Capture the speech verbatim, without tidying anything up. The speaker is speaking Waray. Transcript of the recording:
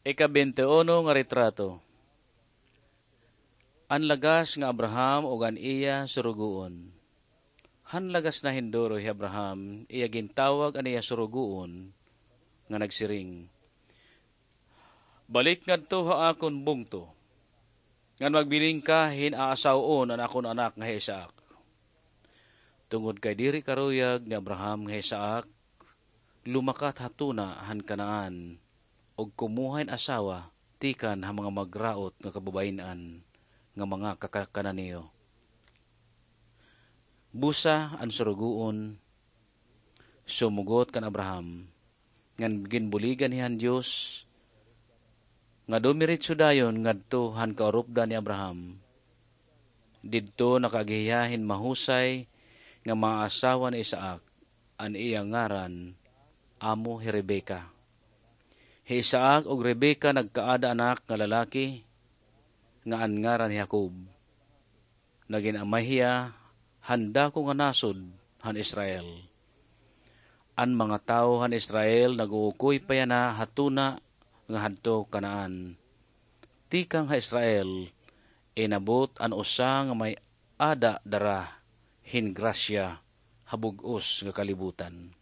Ika-bente uno nga retrato. An lagas nga Abraham ug an iya surugoon. Han lagas na hin duro hi Abraham, iya gintawag an iya surugoon, nga nagsiring, "Balik ngadto ha akon bungto, ngan magbiling ka hin aasaw-on an akon anak nga hi Isaac." Tungod kay diri karuyag ni Abraham nga hi Isaac lumakat ha tuna han Canaan, ug kumuha hin asawa tikang ha mga magraot nga kababayin-an nga mga kaka-, Cananeo. Busa an surugoon sumugot kan Abraham, ngan ginbuligan hiya han Dios nga dumiritso dayon ngadto han kaurupdan ni Abraham. Didto nakaagi hiya hin mahusay nga maasawa ni Isaac, an iya ngaran amo hi Rebecca. Hi Isaac ug Rebecca nagkaada anak nga lalaki nga an ngaran hi Jacob. Nagin amay hiya han dako nga nasod han Israel. An mga tawo han Israel nag-uukoy pa yana ha tuna nga hadto Canaan. Tikang ha Israel, inabot an usa nga may-ada dara hin grasya ha bug-os nga kalibutan.